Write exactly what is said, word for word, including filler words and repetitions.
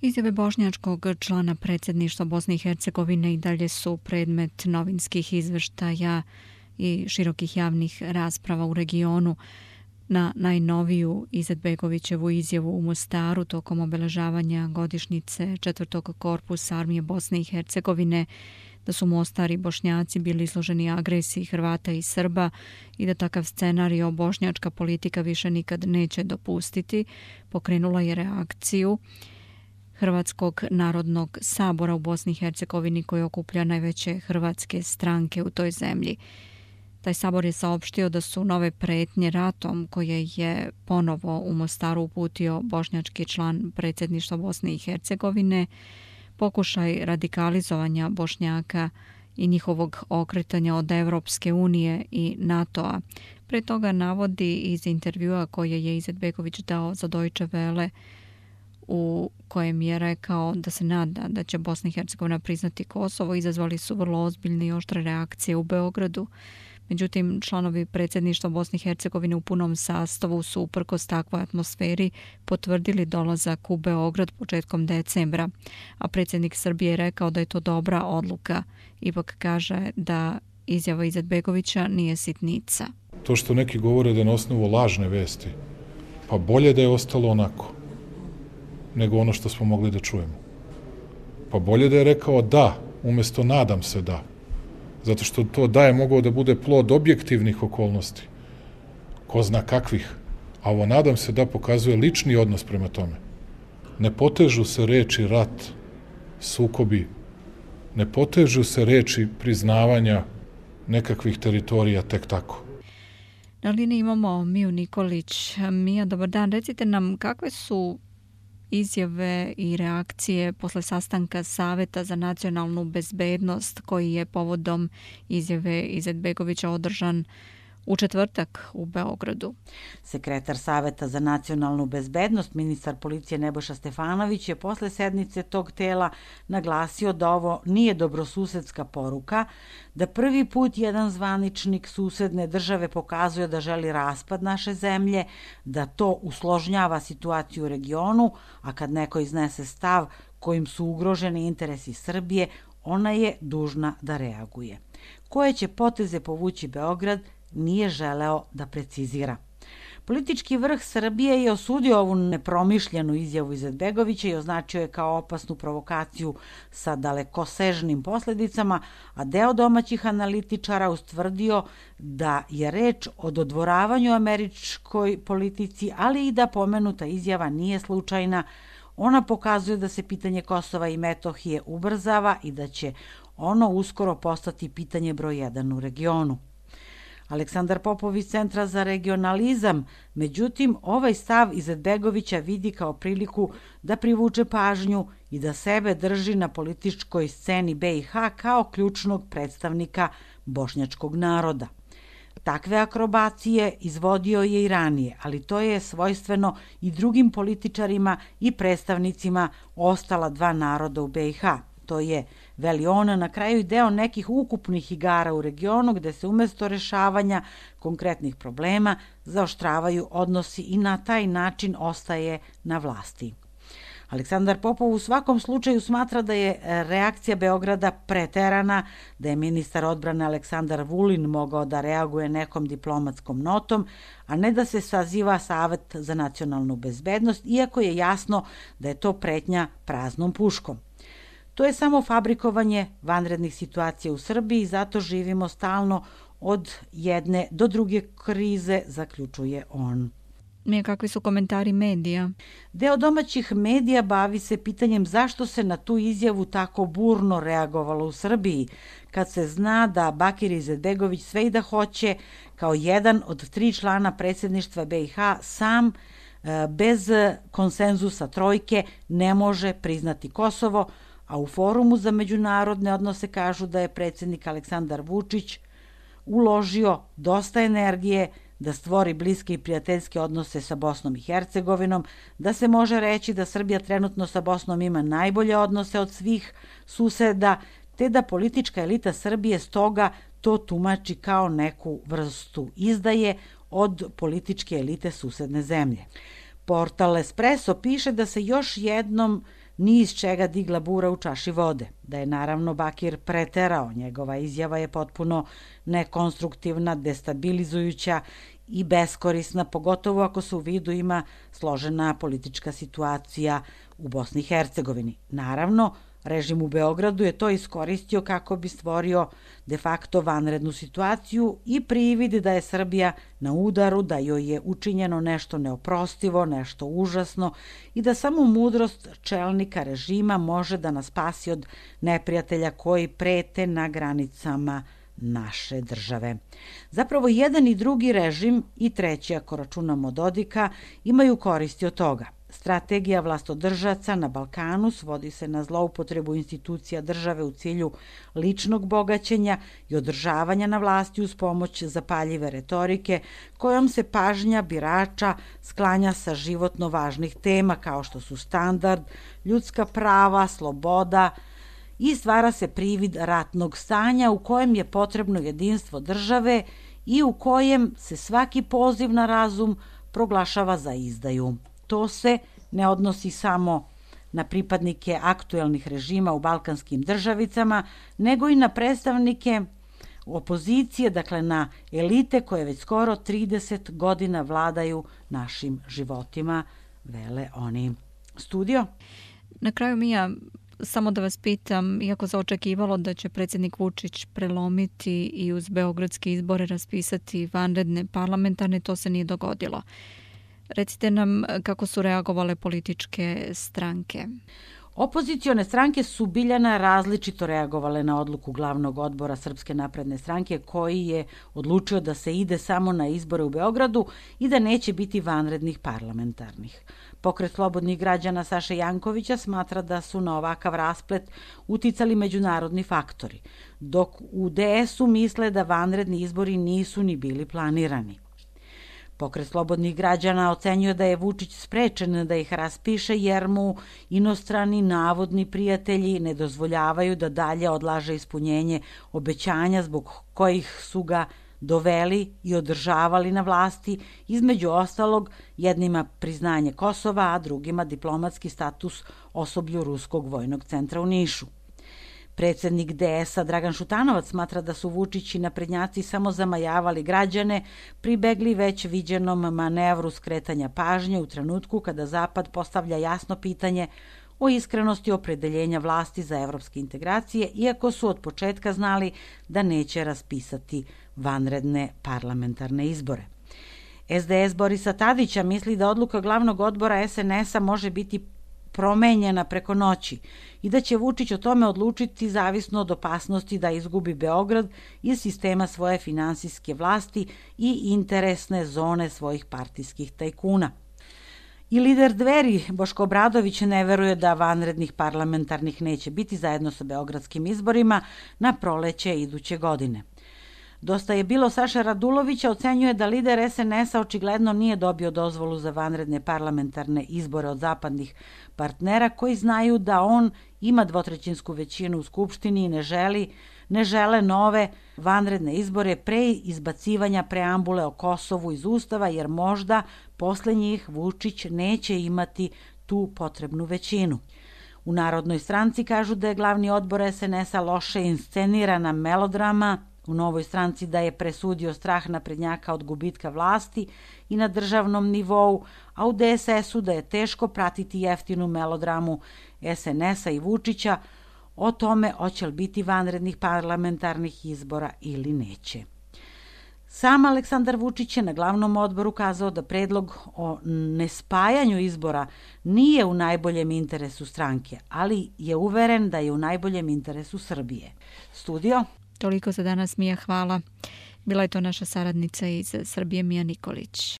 Izjave bošnjačkog člana predsjedništva Bosne i Hercegovine i dalje su predmet novinskih izveštaja i širokih javnih rasprava u regionu. Na najnoviju Izetbegovićevu izjavu u Mostaru tokom obeležavanja godišnjice četvrtog korpusa armije Bosne i Hercegovine da su Mostar i Bošnjaci bili izloženi agresiji Hrvata i Srba i da takav scenario bošnjačka politika više nikad neće dopustiti, pokrenula je reakciju Hrvatskog narodnog sabora u Bosni i Hercegovini koji okuplja najveće hrvatske stranke u toj zemlji. Taj sabor je saopštio da su nove pretnje ratom koje je ponovo u Mostaru uputio bošnjački član predsjedništva Bosne i Hercegovine pokušaj radikalizovanja Bošnjaka i njihovog okretanja od Evropske unije i NATO-a. Pre toga navodi iz intervjua koje je Izetbegović dao za Deutsche Welle u kojem je rekao da se nada da će Bosna i Hercegovina priznati Kosovo, izazvali su vrlo ozbiljne i oštre reakcije u Beogradu. Međutim, članovi predsjedništva Bosne i Hercegovine u punom sastavu su uprkos takvoj atmosferi potvrdili dolazak u Beograd početkom decembra, a predsjednik Srbije je rekao da je to dobra odluka. Ipak kaže da izjava Izetbegovića nije sitnica. To što neki govore da je na osnovu lažne vesti, pa bolje da je ostalo onako nego ono što smo mogli da čujemo. Pa bolje da je rekao da, umjesto nadam se da. Zato što to da je mogao da bude plod objektivnih okolnosti. Ko zna kakvih. A ovo nadam se da pokazuje lični odnos prema tome. Ne potežu se reči rat, sukobi. Ne potežu se reči priznavanja nekakvih teritorija tek tako. Na liniji imamo Miju Nikolić. Mija, dobar dan. Recite nam kakve su izjave i reakcije posle sastanka Saveta za nacionalnu bezbednost koji je povodom izjave Izetbegovića održan u četvrtak u Beogradu. Sekretar Saveta za nacionalnu bezbednost, ministar policije Nebojša Stefanović je posle sednice tog tela naglasio da ovo nije dobrosusedska poruka, da prvi put jedan zvaničnik susedne države pokazuje da želi raspad naše zemlje, da to usložnjava situaciju u regionu, a kad neko iznese stav kojim su ugroženi interesi Srbije, ona je dužna da reaguje. Koje će poteze povući Beograd, nije želeo da precizira. Politički vrh Srbije je osudio ovu nepromišljenu izjavu Izetbegovića i označio je kao opasnu provokaciju sa dalekosežnim posljedicama, a deo domaćih analitičara ustvrdio da je reč o dodvoravanju američkoj politici, ali i da pomenuta izjava nije slučajna. Ona pokazuje da se pitanje Kosova i Metohije ubrzava i da će ono uskoro postati pitanje broj jedan u regionu. Aleksandar Popov iz Centra za regionalizam, međutim, ovaj stav Izetbegovića vidi kao priliku da privuče pažnju i da sebe drži na političkoj sceni be i ha kao ključnog predstavnika bošnjačkog naroda. Takve akrobacije izvodio je i ranije, ali to je svojstveno i drugim političarima i predstavnicima ostala dva naroda u be i ha. To je, veli on, na kraju deo nekih ukupnih igara u regionu gde se umjesto rešavanja konkretnih problema zaoštravaju odnosi i na taj način ostaje na vlasti. Aleksandar Popov u svakom slučaju smatra da je reakcija Beograda preterana, da je ministar odbrane Aleksandar Vulin mogao da reaguje nekom diplomatskom notom, a ne da se saziva Savet za nacionalnu bezbednost, iako je jasno da je to pretnja praznom puškom. To je samo fabrikovanje vanrednih situacija u Srbiji, zato živimo stalno od jedne do druge krize, zaključuje on. Mija, kakvi su komentari medija? Deo domaćih medija bavi se pitanjem zašto se na tu izjavu tako burno reagovalo u Srbiji, kad se zna da Bakir Izetbegović sve i da hoće, kao jedan od tri člana predsjedništva be i ha, sam bez konsenzusa trojke ne može priznati Kosovo, a u Forumu za međunarodne odnose kažu da je predsjednik Aleksandar Vučić uložio dosta energije da stvori bliske i prijateljske odnose sa Bosnom i Hercegovinom, da se može reći da Srbija trenutno sa Bosnom ima najbolje odnose od svih suseda, te da politička elita Srbije stoga to tumači kao neku vrstu izdaje od političke elite susedne zemlje. Portal Espresso piše da se još jednom ni iz čega digla bura u čaši vode. Da je naravno Bakir preterao, njegova izjava je potpuno nekonstruktivna, destabilizujuća i beskorisna, pogotovo ako se u vidu ima složena politička situacija u Bosni i Hercegovini. Naravno, režim u Beogradu je to iskoristio kako bi stvorio de facto vanrednu situaciju i privid da je Srbija na udaru, da joj je učinjeno nešto neoprostivo, nešto užasno i da samo mudrost čelnika režima može da nas spasi od neprijatelja koji prete na granicama naše države. Zapravo, jedan i drugi režim, i treći ako računamo Dodika, imaju koristi od toga. Strategija vlastodržaca na Balkanu svodi se na zloupotrebu institucija države u cilju ličnog bogaćenja i održavanja na vlasti uz pomoć zapaljive retorike, kojom se pažnja birača sklanja sa životno važnih tema kao što su standard, ljudska prava, sloboda, i stvara se privid ratnog stanja u kojem je potrebno jedinstvo države i u kojem se svaki poziv na razum proglašava za izdaju. To se ne odnosi samo na pripadnike aktuelnih režima u balkanskim državicama, nego i na predstavnike opozicije, dakle na elite koje već skoro trideset godina vladaju našim životima, vele oni. Studio? Na kraju, Mija, samo da vas pitam, iako se očekivalo da će predsjednik Vučić prelomiti i uz beogradske izbore raspisati vanredne parlamentarne, to se nije dogodilo. Recite nam kako su reagovale političke stranke. Opozicione stranke su Biljana različito reagovale na odluku glavnog odbora Srpske napredne stranke koji je odlučio da se ide samo na izbore u Beogradu i da neće biti vanrednih parlamentarnih. Pokret slobodnih građana Saše Jankovića smatra da su na ovakav rasplet uticali međunarodni faktori, dok u D S U misle da vanredni izbori nisu ni bili planirani. Pokret slobodnih građana ocenjuje da je Vučić sprečen da ih raspiše jer mu inostrani navodni prijatelji ne dozvoljavaju da dalje odlaže ispunjenje obećanja zbog kojih su ga doveli i održavali na vlasti, između ostalog jednima priznanje Kosova, a drugima diplomatski status osoblju Ruskog vojnog centra u Nišu. Predsjednik D S A Dragan Šutanovac smatra da su Vučić i naprednjaci samo zamajavali građane, pribegli već viđenom manevru skretanja pažnje u trenutku kada Zapad postavlja jasno pitanje o iskrenosti opredeljenja vlasti za evropske integracije, iako su od početka znali da neće raspisati vanredne parlamentarne izbore. S D S Borisa Tadića misli da odluka glavnog odbora S N S A može biti promenjena preko noći i da će Vučić o tome odlučiti zavisno od opasnosti da izgubi Beograd iz sistema svoje finansijske vlasti i interesne zone svojih partijskih tajkuna. I lider Dveri, Boško Obradović, ne veruje da vanrednih parlamentarnih neće biti zajedno sa beogradskim izborima na proleće iduće godine. Dosta je bilo Saša Radulovića ocenjuje da lider S N S A očigledno nije dobio dozvolu za vanredne parlamentarne izbore od zapadnih partnera koji znaju da on ima dvotrećinsku većinu u Skupštini i ne želi, ne žele nove vanredne izbore pre izbacivanja preambule o Kosovu iz Ustava, jer možda posle njih Vučić neće imati tu potrebnu većinu. U Narodnoj stranci kažu da je glavni odbor S N S A loše inscenirana melodrama, u Novoj stranci da je presudio strah naprednjaka od gubitka vlasti i na državnom nivou, a u D S S U da je teško pratiti jeftinu melodramu S N S A i Vučića o tome hoće li biti vanrednih parlamentarnih izbora ili neće. Sam Aleksandar Vučić je na glavnom odboru kazao da predlog o nespajanju izbora nije u najboljem interesu stranke, ali je uveren da je u najboljem interesu Srbije. Studio? Toliko za danas, Mija, hvala. Bila je to naša saradnica iz Srbije, Mija Nikolić.